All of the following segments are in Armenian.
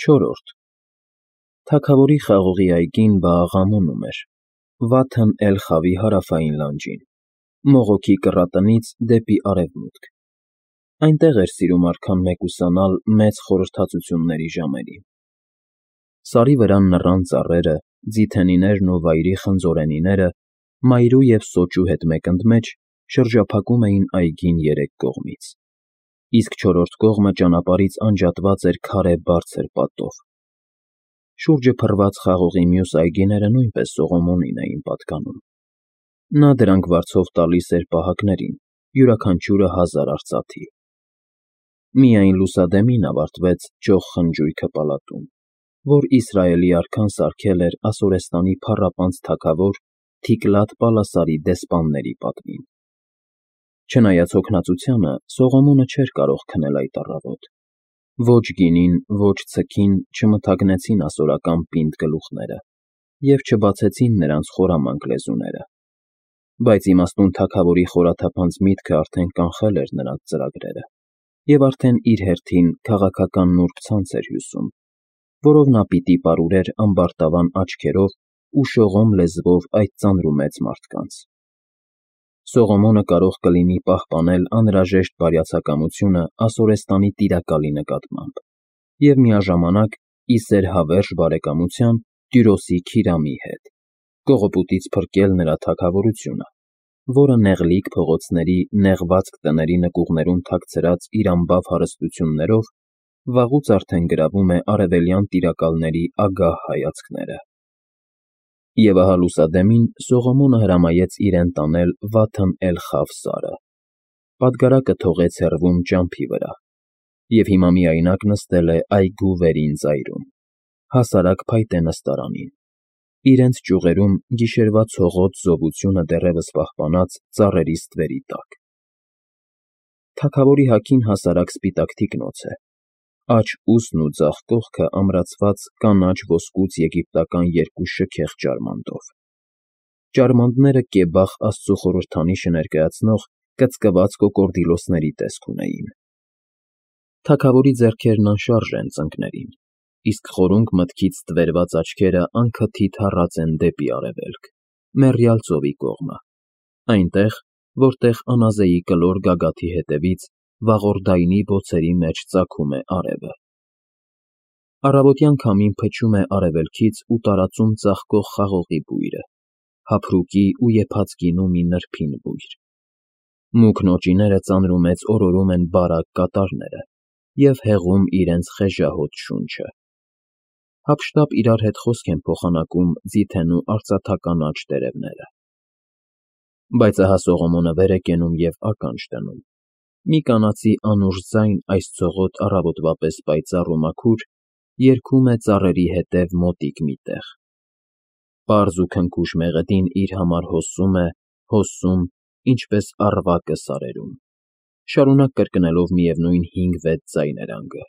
Չորրորդ Թագավորի խաղողի այգին բաղաղամոնում էր, Վաթն Էլ֊Խավի հարավային լանջին, Մողոքի կռատնից դեպի արևմուտք. այնտեղ էր սիրում արքան մեկուսանալ մեծ խորհրդածությունների ժամերին։ Սարի վրա նռան ծառերը, ձիթենիներն ու վայրի խնձորենիները, մայրու և սոճու հետ մեկընդմեջ շրջափակում էին այգին երեք կողմից, իսկ չորրորդ կողմը ճանապարհից անջատված էր քարե բարձր պատով։ Շուրջը փռված խաղողի մյուս այգիները նույնպես Սողոմոնին էին պատկանում։ Նա դրանք վարձով տալիս էր պահակներին, յուրաքանչյուրը 1000 արծաթի։ Միայն լուսադեմին ավարտվեց ճոխ խնջույքը պալատում, որ Իսրայելի արքան սարքել էր Ասորեստանի փառապանծ թագավոր Թիկլատ-Պալասարի դեսպանների պատվին։ Չնայած հոգնածությանը, Սողոմոնը չէր կարող քնել այդ առավոտ։ Ոչ գինին, ոչ ցքին չմթագնեցին ասորական պինդ գլուխները և չբացեցին նրանց խորամանկ լեզուները, բայց իմաստուն թագավորի խորաթափանց միտքը արդեն կանխել էր նրանց ծրագրերը և արդեն իր հերթին քաղաքական նուրբ ցանց էր հյուսում, որով նա պիտի պարուրեր ամբարտավան աչքերով ու շողոմ լեզվով այդ ծանրումեծ մարդկանց։ Սողոմոնը կարող կլինի պահպանել անհրաժեշտ բարյացակամությունը Ասորեստանի տիրակալի նկատմամբ և միաժամանակ ի սեր հավերժ բարեկամության Տյուրոսի Քիրամի հետ, կողոպուտից փրկել նրա թագավորությունը, որը նեղլիկ փողոցների, նեղվածք տների նկուղներում թաքցրած իր անբավ հարստություններով վաղուց արդեն գրավում է արևելյան տիրակալների ագահ հայացքները։ Եվ ահա լուսադեմին Սողոմոնը հրամայեց իրեն տանել Վաթն Էլ-Խավ սարը, պատգարակը թողեց հեռվում ճամփի վրա, և հիմա միայնակ նստել է այգու վերին ծայրում, հասարակ փայտե նստարանին, իրենց ճյուղերում գիշերվա ցողոտ զովությունը դեռևս պահպանած ծառերի ստվերի տակ։ Թագավորի հագին հասարակ սպիտակ թիկնոց է, աջ ուսն ու ձախ կողքը ամրացված կանաչ ոսկուց եգիպտական երկու շքեղ ջարմանդով։ Ջարմանդները կեբախ Աստծու խորհրդանիշը ներկայացնող կծկված կոկորդիլոսների տեսք ունեին։ Թագավորի ձեռքերն անշարժ են ծնկներին, իսկ խորունկ մտքից ստվերված աչքերը անքթիթ հառած են դեպի արևելք, մեռյալ ծովի կողմը, այնտեղ, որտեղ անազեի կլոր գագաթի հետևից վաղորդայնի բոցերի մեջ ծագում է արևը։ Առավոտյան քամին փչում է արևելքից ու տարածում ծաղկող խաղողի բույրը, հափրուկի ու եփած գինու մի նրբին բույր։ Մուգ նոճիները ծանրումեծ օրորում են բարակ կատարները և հեղում իրենց խեժահոտ շունչը։ Հափշտապ իրար հետ խոսք են փոխանակում ձիթենու արծաթականաչ տերևները։ Բայց ահա Սողոմոնը վեր է կենում և ականջ դնում։ Մի կանացի անուշ ձայն այս ցողոտ առավոտվա պես պայծառ ու մաքուր երգում է ծառերի հետև մոտիկ մի տեղ։ Պարզ ու քնքուշ մեղեդին իր համար հոսում է, հոսում, ինչպես առվակը սարերում, շարունակ կրկնելով միևնույն 5-6 ձայներանգը,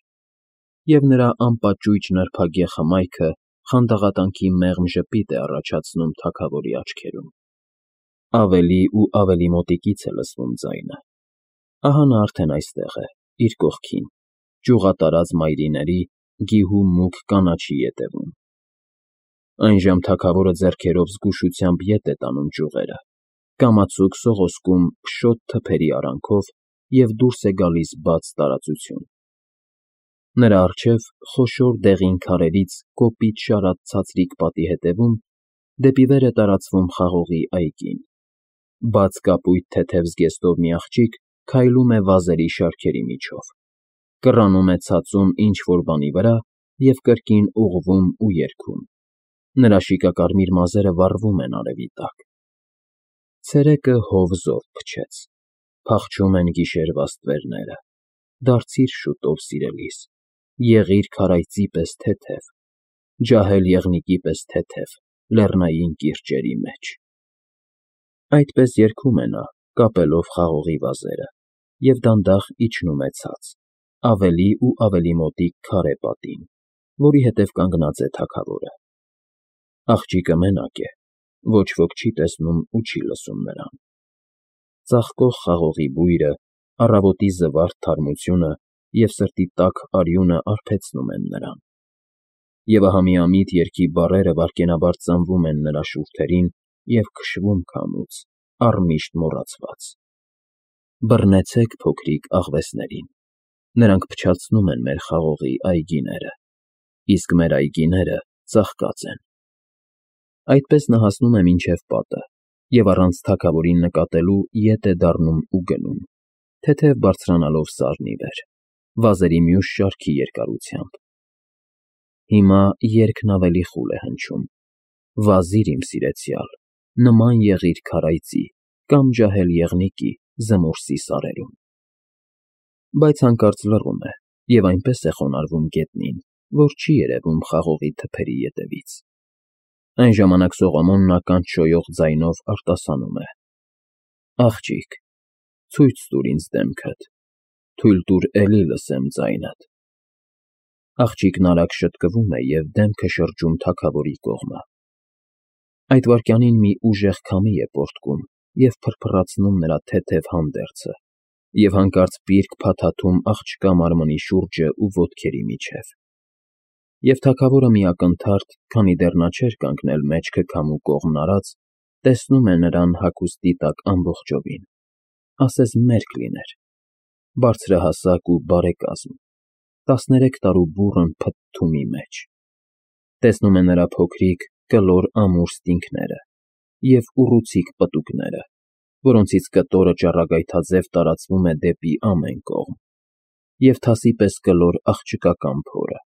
և նրա անպաճույճ նրբագեղ հմայքը խանդաղատանքի մեղմ ժպիտ է առաջացնում թագավորի աչքերում։ Ավելի ու ավելի մոտիկից է լսվում ձայնը։ Ահա նա արդեն այստեղ է, իր կողքին, ճյուղատարած մայրիների, գիհու մուգ կանաչի ետևում։ Այժմ թագավորը ձեռքերով զգուշությամբ ետ է տանում ճյուղերը, կամացուկ սողոսկում փշոտ թփերի արանքով և դուրս է գալիս բաց տարածություն։ Նրա առջև, խոշոր դեղին քարերից կոպիտ շարած ցածրիկ պատի հետևում, դեպի վեր է տարածվում խաղողի այգին։ Բաց կապույտ թեթև զգեստով մի աղջիկ քայլում է վազերի շարքերի միջով, կռանում է ցածում ինչ֊որ բանի վրա և կրկին ուղղվում ու երգում։ Նրա շիկակարմիր մազերը վառվում են արևի տակ։ Ցերեկը հով զով փչեց, փախչում են գիշերվա ստվերները։ Դարձիր շուտով, սիրելիս, եղիր քարայծի պես թեթև, ջահել եղնիկի պես թեթև լեռնային կիրճերի մեջ։ Այդպես երգում է նա, կապելով խաղողի վազերը, և դանդաղ իջնում է ցած, ավելի ու ավելի մոտիկ քարե պատին, որի հետև կանգնած է թագավորը։ Աղջիկը մենակ է, ոչ ոք չի տեսնում ու չի լսում նրան։ Ծաղկող խաղողի բույրը, առավոտի զվարթ թարմությունը և սրտի տաք արյունը արբեցնում են նրան։ Եվ ահա միամիտ երգի բառերը վայրկենաբար ծնվում են նրա շուրթերին և քշվում քամուց, առմիշտ մոռացված. «Բռնեցեք փոքրիկ աղվեսներին, նրանք փչացնում են մեր խաղողի այգիները, իսկ մեր այգիները ծաղկած են»։ Այդպես նա հասնում է մինչև պատը և առանց թագավորին նկատելու ետ է դառնում ու գնում, թեթև բարձրանալով սարն ի վեր, վազերի մյուս շարքի երկարությամբ։ Հիմա երգն ավելի խուլ է հնչում. «Վազիր, իմ սիրեցյալ, նման եղիր քարայծի կամ ջահել եղնիկի զմորսի սարերում»։ Բայց հանկարծ լռում է և այնպես է խոնարհվում գետնին, որ չի երևում խաղողի թփերի ետևից։ Այն ժամանակ Սողոմոնն ականջ շոյող ձայնով արտասանում է. «Աղջիկ, ցույց տուր ինձ դեմքդ, թույլ տուր էլի լսեմ ձայնդ»։ Աղջիկն արագ շտկվում է և դեմքը շրջում թագավորի կողմը։ Այդ վայրկյանին մի ուժեղ քամի է պոռթկում և փրփռացնում նրա թեթև հանդերձը, և հանկարծ պիրկ փաթաթում աղջկա մարմնի շուրջն ու ոտքերի միջև։ Եվ թագավորը մի ակնթարթ, քանի դեռ նա չէր կանգնել մեջքը քամու կողմն արած, տեսնում է նրան հագուստի տակ ամբողջովին, ասես մերկ լիներ, բարձրահասակ ու բարեկազմ, 13 տարու բուռն փթթումի մեջ։ Տեսնում է նրա փոքրիկ, կլոր ամուր ստինքները և ուռուցիկ պտուկները, որոնցից կտորը ճառագայթաձև տարածվում է դեպի ամեն կողմ, և թասի պես կլոր աղջկական փորը,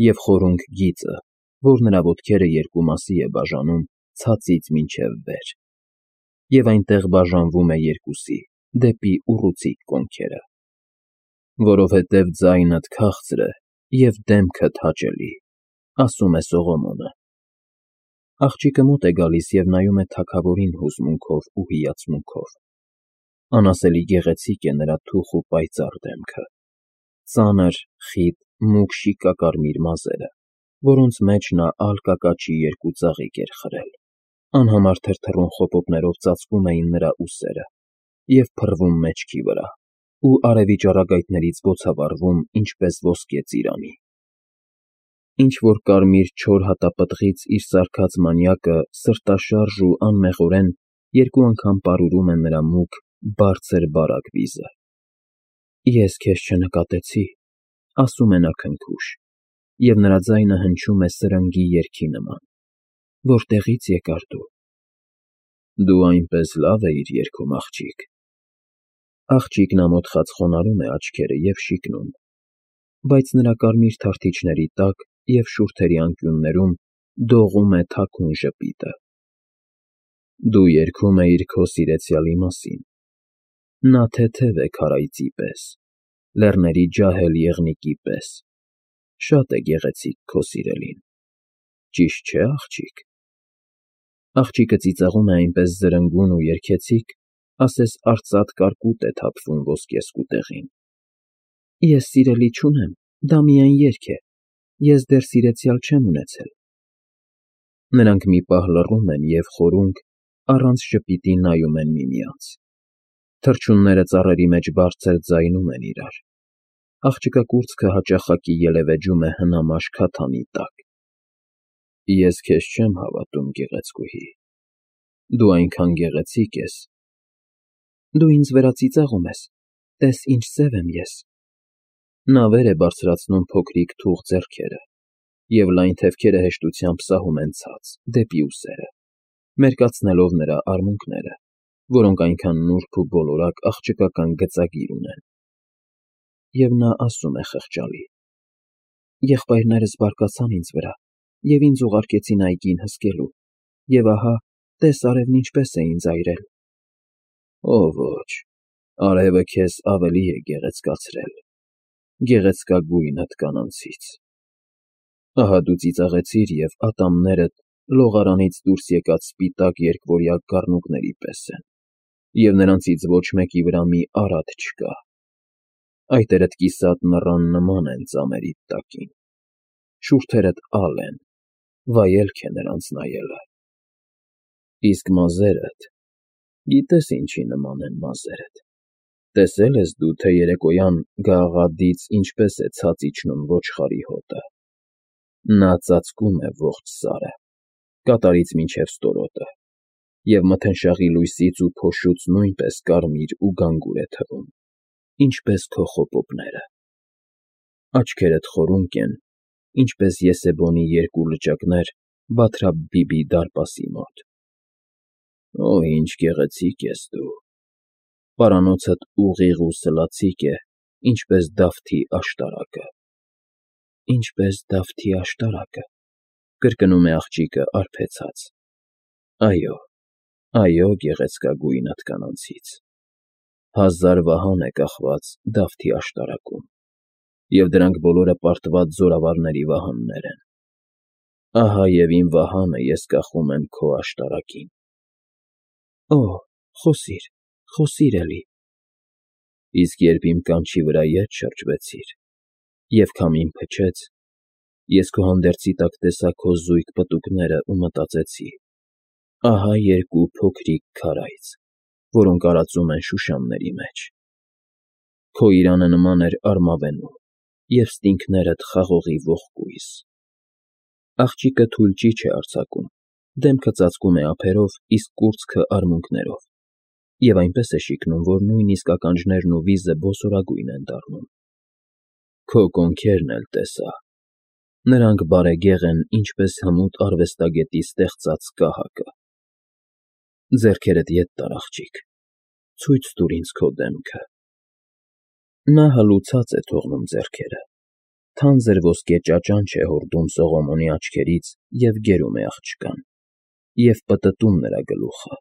և խորունգ գիծը, որ նրա ոտքերը երկու մասի է բաժանում ցածից մինչև վեր, և այնտեղ բաժանվում է երկուսի, դեպի ուռուցիկ կոնքերը։ «Որովհետև ձայնդ քաղցր է և դեմքդ հաճելի», ասում է Սողոմոնը։ Աղջիկը մոտ է գալիս և նայում է թագավորին հուզմունքով ու հիացմունքով։ Անասելի գեղեցիկ է նրա թուխ ու պայծառ դեմքը, ծանր, խիտ, մուգ շիկակարմիր մազերը, որոնց մեջ նա ալկակաչի երկու ծաղիկ էր խրել, անհամար թրթռուն խոպոպներով ծածկում էին նրա ուսերը և փռվում մեջքի վրա, ու արևի ճառագայթներից բոցավառվում ինչպես ոսկե ծիրանի։ Ինչ-որ կարմիր չոր հատապտղից իր սարքած մանյակը սրտաշարժ ու անմեղորեն երկու անգամ պարուրում է նրա մուգ, բարձր բարակ վիզը։ «Ես քեզ չնկատեցի», ասում է նա քնքուշ, և նրա ձայնը հնչում է սրնգի երգի նման։ «Որտեղի՞ց եկար դու»։ «Դու այնպես լավ էիր երգում, աղջիկ»։ Աղջիկն ամոթխած խոնարհում է աչքերը և շիկնում, բայց նրա կարմիր թարթիչների տակ և շուրթերի անկյուններում դողում է թաքուն ժպիտը։ «Դու երգում էիր քո սիրեցյալի մասին։ Նա թեթև է քարայծի պես, լեռների ջահել եղնիկի պես, շատ է գեղեցիկ քո սիրելին, ճիշտ չէ՞, աղջիկ»։ Աղջիկը ծիծաղում է այնպես զրնգուն ու երգեցիկ, ասես արծաթ կարկուտ է թափվում ոսկե սկուտեղին։ «Ես սիրելի չունեմ, դա միայն երգ է, ես դեռ սիրեցյալ չեմ ունեցել»։ Նրանք մի պահ լռում են և խորունգ, առանց ժպիտի նայում են միմյանց։ Թռչունները ծառերի մեջ բարձր ձայնում են իրար։ Աղջկա կուրծքը հաճախակի ելևէջում է հնամաշ քաթանի տակ։ «Ես քեզ չեմ հավատում, գեղեցկուհի, դու այնքան գեղեցիկ ես»։ «Դու ինձ վրա ծիծաղում ես, տես ինչ սև եմ ես»։ Նա վեր է բարձրացնում փոքրիկ թուխ ձեռքերը, և լայն թևքերը հեշտությամբ սահում են ցած, դեպի ուսերը, մերկացնելով նրա արմունկները, որոնք այնքան նուրբ ու բոլորակ աղջկական գծագիր ունեն։ Եվ նա ասում է խղճալի. «Եղբայրներս բարկացան ինձ վրա և ինձ ուղարկեցին այգին հսկելու, և ահա, տես արևն ինչպես է ինձ այրել»։ «Օ ոչ, արևը քեզ ավելի է գեղեցկացրել, գեղեցկագույն հատկանանցից։ Ահա դու ծիծաղեցիր, և ատամներդ լողարանից դուրս եկած սպիտակ երկվորյա կառնուկների պես են, և նրանցից ոչ մեկի վրա մի արատ չկա։ Այտերդ կիսատ նռան նման են ծամերիդ տակին, շուրթերդ ալ են, վայելք է նրանց նայելը։ Իսկ մազերդ, գիտե՞ս ինչի նման են մազերդ։ Տեսե՞լ ես դու, թե երեկոյան գաղաղադից ինչպես է ցած իջնում ոչխարի հոտը։ Նա ծածկում է ողջ սարը, կատարից մինչև ստորոտը, և մթնշաղի լույսից ու փոշուց նույնպես կարմիր ու գանգուր է թվում, ինչպես քո խոպոպները։ Աչքերդ խորունկ են, ինչպես Եսեբոնի երկու լճակներ Բաթրաբ-Բիբի դարպասի մոտ։ Օ, ինչ գեղեցիկ ես դու, պարանոցդ ուղիղ ու սլացիկ է, ինչպես Դավթի աշտարակը։ Ինչպես Դավթի աշտարակը, կրկնում է աղջիկը արբեցած։ Այո, այո, գեղեցկագույնդ կանանցից։ 1000 վահան է կախված Դավթի աշտարակում, և դրանք բոլորը պարտված զորավարների վահաններ են։ Ահա և իմ վահանը ես կախում եմ քո աշտարակին։ Օ, խոսիր, խոսիր էլի։ Իսկ երբ իմ կանչի վրա ետ շրջվեցիր, և քամին փչեց, ես քո հանդերձի տակ տեսա քո զույգ պտուկները ու մտածեցի. ահա երկու փոքրիկ քարայծ, որոնք արածում են շուշանների մեջ։ Քո իրանը նման էր արմավենու, և ստինքներդ խաղողի ողկույզ։ Աղջիկը թույլ ճիչ է արձակում, դեմքը ծածկում է ափերով, իսկ կուրծքը արմունկներով, և այնպես է շիկնում, որ նույնիսկ ականջներն ու վիզը բոսորագույն են դառնում։ Քո կոնքերն էլ տեսա, նրանք բարեգեղ են, ինչպես հմուտ արվեստագետի ստեղծած կահակը։ Ձեռքերդ ետ տար, աղջիկ, ցույց տուր ինձ քո դեմքը։ Նա հալուցած է թողնում ձեռքերը, թանձր ոսկե ճաճանչ է հորդում Սողոմոնի աչքերից և գերում է աղջկան, և պտտում նրա գլուխը,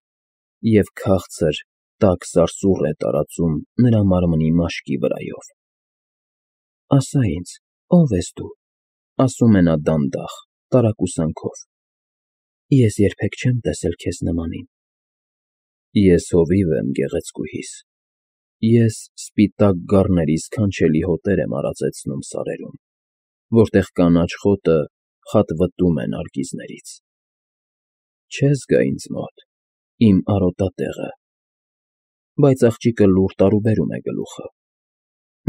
և քաղցր, տաք սարսուռ է տարածում նրա մարմնի մաշկի վրայով։ Ասա ինձ, ո՞վ ես դու, ասում է նա դանդաղ, տարակուսանքով։ Ես երբեք չեմ տեսել քեզ նմանին։ Ես հովիվ եմ, գեղեցկուհիս, ես սպիտակ գառների սքանչելի հոտեր եմ արածեցնում սարերում, որտեղ կանաչ խոտը խատվտում է նարգիզներից։ Չես գա ինձ մոտ, իմ արոտատեղը։ Բայց աղջիկը լուռ տարուբերում է գլուխը։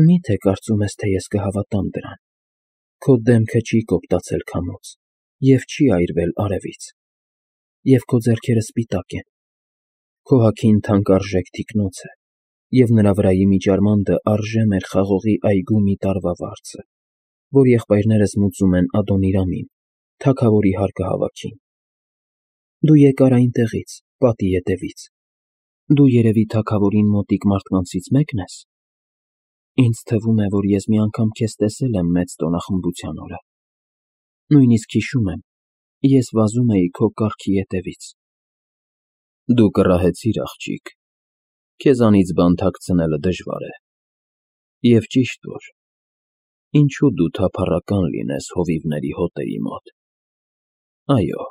Մի՞թե կարծում ես, թե ես կհավատամ դրան։ Քո դեմքը չի կոպտացել քամուց և չի այրվել արևից, և քո ձեռքերը սպիտակ են։ Քո հագին թանկարժեք թիկնոց է, և նրա վրայի միջարմանդը արժե մեր խաղողի այգու մի տարվա վարձը, որ եղբայրներս մուծում են Ադոնիրամին, թագավորի հարկահավաքին։ Դու եկար այնտեղից, պատի ետևից։ Դու երևի թագավորին մոտիկ մարդկանցից մեկն ես։ Ինձ թվում է, որ ես մի անգամ քեզ տեսել եմ մեծ տոնախմբության օրը։ Նույնիսկ հիշում եմ, ես վազում էի քո կառքի ետևից։ Դու կռահեցիր, աղջիկ, քեզանից բան թաքցնելը դժվար է։ Եվ ճիշտ որ, ինչու դու թափառական լինես հովիվների հոտերի մոտ։ Այո,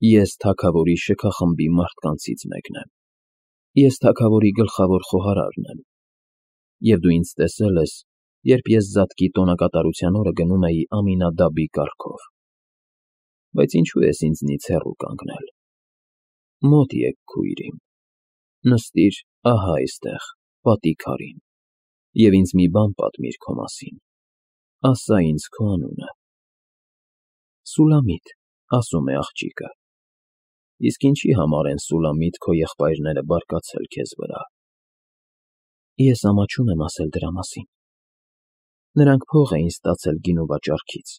ես թագավորի շքախմբի մարդկանցից մեկն եմ։ Ես թագավորի գլխավոր խոհարարն եմ, և դու ինձ տեսել ես, երբ ես Զատկի տոնակատարության օրը գնում էի Ամինադաբի կառքով։ Բայց ինչու ես ինձնից հեռու կանգնել։ Մոտ եկ, քույր իմ, նստիր ահա այստեղ, պատի քարին, և ինձ մի բան պատմիր քո մասին, ասա ինձ քո անունը։ Սուլամիտ, ասում է աղջիկը։ Իսկ ինչի համար են Սուլամիտ քո եղբայրները բարկացել քեզ վրա։ Ես ամաչում եմ ասել դրա մասին։ Նրանք փող էին ստացել գինու վաճառքից,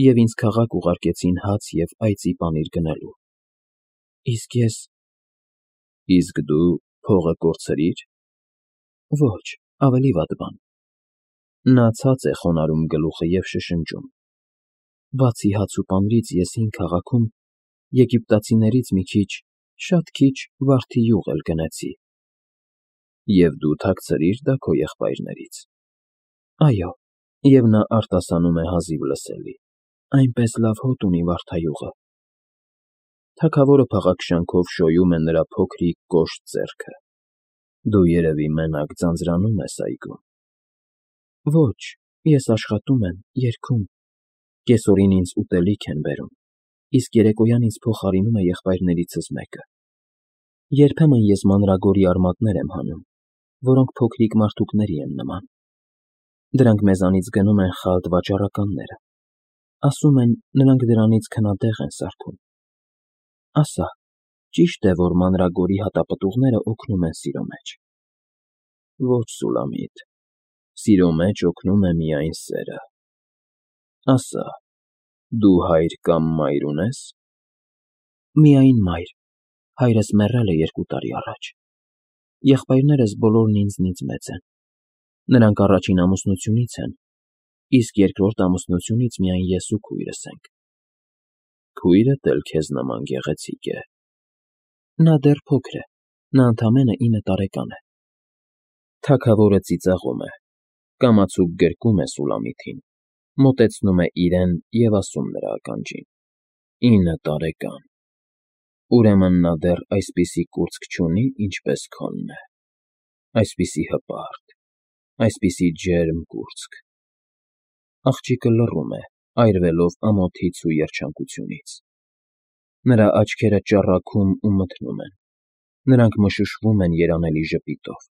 և ինձ քաղաք ուղարկեցին հաց և այծի պանիր գնելու։ Իսկ ես… Իսկ դու փողը կորցրի՞ր։ Ոչ, ավելի վատ բան։ Նա ցած է խոնարհում գլուխը և շշնջում։ Բացի հաց ու պանիրից ես հին քաղաքում եգիպտացիներից մի քիչ, շատ քիչ վարդի յուղ էլ գնեցի։ Եվ դու թաքցրի՞ր դա քո եղբայրներից։ Այո, և նա արտասանում է հազիվ լսելի, այնպես լավ հոտ ունի վարդայուղը։ Թագավորը փաղաքշանքով շոյում է նրա փոքրիկ կոշտ ձեռքը։ Դու երևի մենակ ձանձրանում ես այգում։ Ոչ, ես աշխատում եմ, երգում։ Կեսօրին ինձ ուտելիք են բերում, իսկ երեկոյան ինձ փոխարինում է եղբայրներիցս մեկը։ Երբեմն ես մանրագորի արմատներ եմ հանում, որոնք փոքրիկ մարդուկների են նման։ Դրանք մեզանից գնում են Խալդ վաճառականները։ Ասում են, նրանք դրանից քնատեղ են սարքում։ Ասա, ճիշտ է, որ մանրագորի հատապտուղները օգնում են սիրո մեջ։ Ոչ, Սուլամիտ, սիրո մեջ օգնում է միայն սերը։ Ասա, դու հայր կամ մայր ունե՞ս։ Միայն մայր, հայրս մեռել է 2 տարի առաջ։ Եղբայրներս բոլորն ինձնից մեծ են։ Նրանք առաջին ամուսնությունից են, իսկ երկրորդ ամուսնությունից միայն ես ու քույրս ենք։ Քույրդ էլ քեզ նման գեղեցիկ է։ Նա դեռ փոքր է, նա ընդամենը 9 տարեկան է։ Թագավորը ծիծաղում է, կամացուկ գրկում է Սուլամիթին, մոտեցնում է իրեն և ասում նրա ականջին. 9 տարեկան։ Ուրեմն նա դեռ այսպիսի կուրծք չունի, ինչպես քոնն է, այսպիսի հպարտ, այսպիսի ջերմ կուրծք։ Աղջիկը լռում է, այրվելով ամոթից ու երջանկությունից։ Նրա աչքերը ճառագում ու մթնում են, նրանք մշուշվում են երանելի ժպիտով։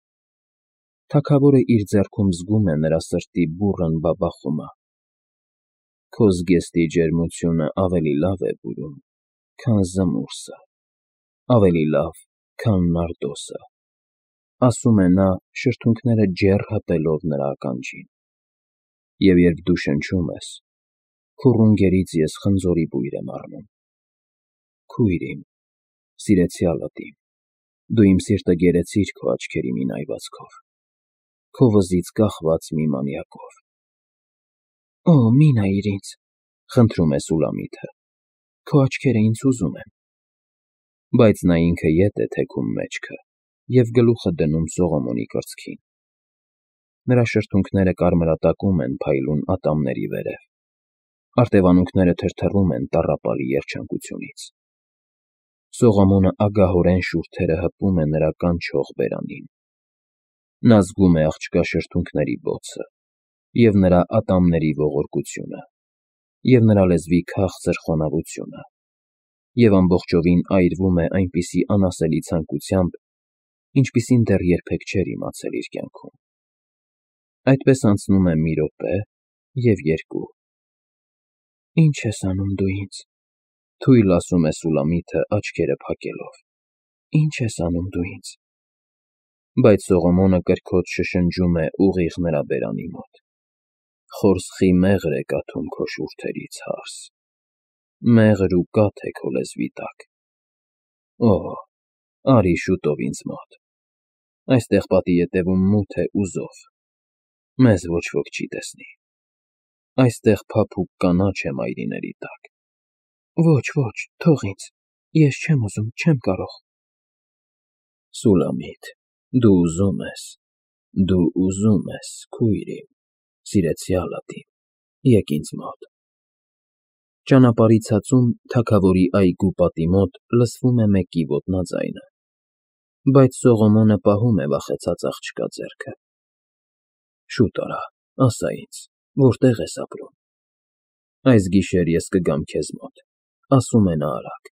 Թագավորը իր ձեռքում զգում է նրա սրտի բուռն բաբախումը։ Քո զգեստի ջերմությունը ավելի լավ է բուրում, քան զմուրսը, ավելի լավ, քան նարդոսը, ասում է նա, շրթունքները ջեռ հպելով նրա ականջին։ Եվ երբ դու շնչում ես, քո ռունգերից ես խնձորի բույր եմ առնում։ Քույր իմ, սիրեցյալդ իմ, դու իմ սիրտը գերեցիր քո աչքերի մի նայվածքով, քո վզից կախված մի մանյակով։ Օ, մի նայիր ինձ, խնդրում է Սուլամիթը, քո աչքերը ինձ ուզում են։ Բայց նա ինքը ետ է թեքում մեջքը և գլուխը դնում Սողոմոնի կրծքին։ Նրա շրթունքները կարմրատակում են փայլուն ատամների վերև, արտևանունքները թրթռում են տառապալի երջանկությունից։ Սողոմոնը ագահորեն շուրթերը հպում է նրա կանչող բերանին։ Նա զգում է աղջկա շրթունքների բոցը, և նրա ատամների ողորկությունը, և նրա լեզվի քաղցր խոնավությունը, և ամբողջովին այրվում է այնպիսի անասելի ցանկությամբ, ինչպիսին դեռ երբեք չէր իմացել իր կյանքում։ Այդպես անցնում է մի րոպե և 2։ Ի՞նչ ես անում դու ինձ, թույլ ասում է Սուլամիթը աչքերը փակելով, ի՞նչ ես անում դու ինձ։ Բայց Սողոմոնը կրքոտ շշնջում է ուղիղ նրա բերանի մոտ։ Խորսխի մեղր է կաթում քո շուրթերից, հարս, մեղր ու կաթ է քո լեզվի տակ։ Օ, արի շուտով ինձ մոտ, այստեղ պատի ետևում մութ է ու զով, մեզ ոչ ոք չի տեսնի, այստեղ փափուկ կանաչ է մայրիների տակ։ Ոչ, թող ինձ, ես չեմ ուզում, չեմ կարող։ Սուլամիթ, դու ուզում ես, քույր իմ, սիրեցյալդ իմ, եկ ինձ մոտ։ Ճանապարհի ցածում թագավորի այգու պատի մոտ լսվում է մեկի ոտնաձայնը, բայց Սողոմոնը պահում է վախեցած աղջկա ձեռքը։ Շուտ արա, ասա ինձ, որտե՞ղ ես ապրում։ Այս գիշեր ես կգամ քեզ մոտ, ասում է նա արագ։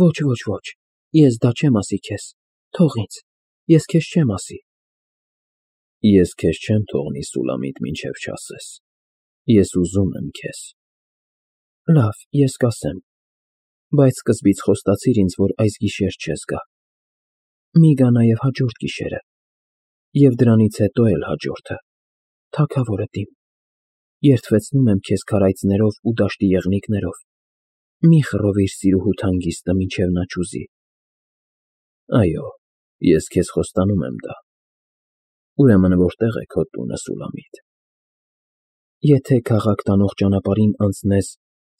Ոչ, ես դա չեմ ասի քեզ, թող ինձ, ես քեզ չեմ ասի։ Ես քեզ չեմ թողնի, Սուլամիտ, մինչև չասես, ես ուզում եմ քեզ։ Լավ, ես կասեմ, բայց սկզբից խոստացիր ինձ, որ այս գիշեր չես գա։ Մի գա նաև հաջորդ գիշերը, և դրանից հետո էլ հաջորդը, թագավորդ իմ, երդվեցնում եմ քեզ քարայծներով ու դաշտի եղնիկներով, մի խռովիր սիրուհուդ հանգիստը, մինչև նա չուզի։ Այո, ես քեզ խոստանում եմ դա։ Ուրեմն որտե՞ղ է քո տունը, Սուլամիտ։ Եթե քաղաք տանող ճանապարհին անցնես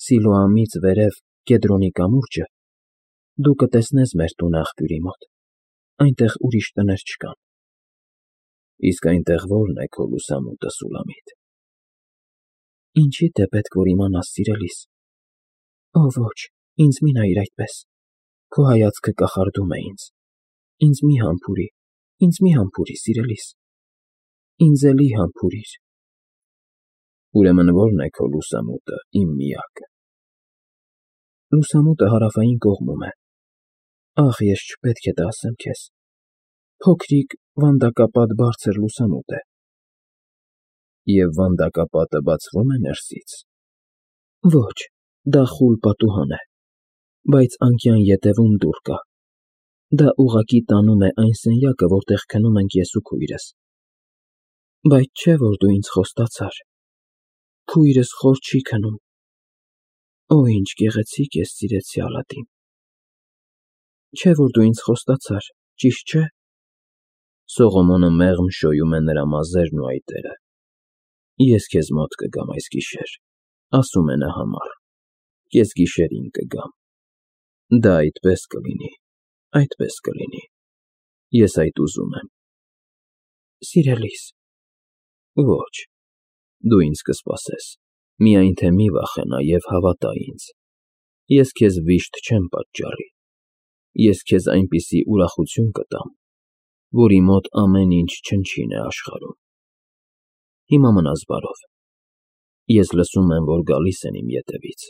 Սիլոամից վերև Կեդրոնի կամուրջը, դու կտեսնես մեր տունը աղբյուրի մոտ, այնտեղ ուրիշ տներ չկան։ Իսկ այնտեղ ո՞րն է քո լուսամուտը, Սուլամիտ։ Ինչի՞դ է պետք, որ իմանաս, սիրելիս։ Օ, ոչ, ինձ մի նայիր այդպես, քո հայացքը կախարդում է ինձ։ Ինձ մի համբուրի, սիրելիս։ Ինձ էլի համբուրիր։ Ուրեմն ո՞րն է քո լուսամուտը, իմ միակը։ Լուսամուտը հարավային կողմում է։ Ախ, ես չպետք է դա ասեմ քեզ։ Փոքրիկ, վանդակապատ բարձր լուսամուտ է։ Եվ վանդակապատը բացվում է ներսից։ Ոչ, դա խուլ պատուհան է, բայց անկյան ետևում դուռ կա։ Դա ուղղակի տանում է այն սենյակը, որտեղ քնում ենք ես ու քույրս։ Բայց չէ՞ որ դու ինձ խոստացար։ Քույրս խոր չի քնում։ Օ, ինչ գեղեցիկ ես, սիրեցի Ալադին։ Չէ՞ որ դու ինձ խոստացար, ճիշտ չէ՞։ Սողոմոնը մեղմ շոյում է նրա մազերն ու այտերը։ Ես քեզ մոտ կգամ այս գիշեր, ասում է նա համառ, կեսգիշերին կգամ։ Դա այդպես կլինի, այդպես կլինի, ես այդ ուզում եմ։ Սիրելիս։ Ոչ, դու ինձ կսպասես, միայն թե մի վախենա և հավատա ինձ։ Ես քեզ վիշտ չեմ պատճառի։ Ես քեզ այնպիսի ուրախություն կտամ, որի մոտ ամեն ինչ չնչին է աշխարհում։ Հիմա մնաս բարով։ Ես լսում եմ, որ գալիս են իմ ետևից։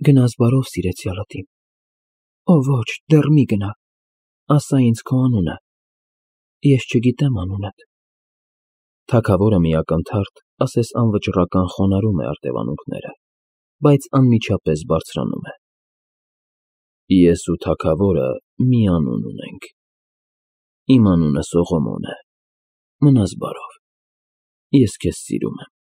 Գնաս բարով, սիրեցի Ալադին։ Օ, ոչ, դեռ մի գնա, ասա ինձ քո անունը։ Ես չգիտեմ անունդ։ Թագավորը մի ակնթարթ, ասես անվճռական խոնարհում է արտևանունքները, բայց անմիջապես բարձրանում է։ Ես ու թագավորը մի անուն ունենք։ Իմ անունը Սողոմոն է։ Մնաս բարով։ Ես քեզ սիրում եմ։